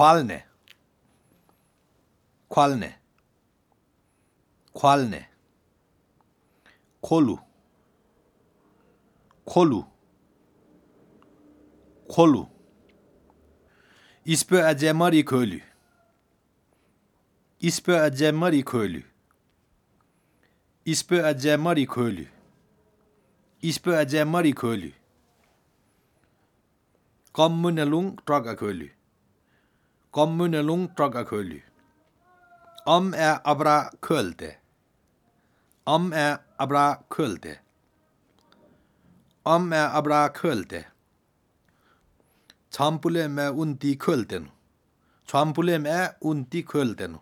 Kvalne. Kvalne. Kvalne. Kolu. Kolu. Kolu. Isbø er gemmer i køly. Isbø er gemmer i køly. Isbø er gemmer i køly. Isbø er gemmer i køly. Kommunelung dragger køly. Kommunelung dragger køly. Om er abra kølte. Om er abra kølte. Om er abra kølte. Trampulem er undi kølten. Trampulem er undi kølten.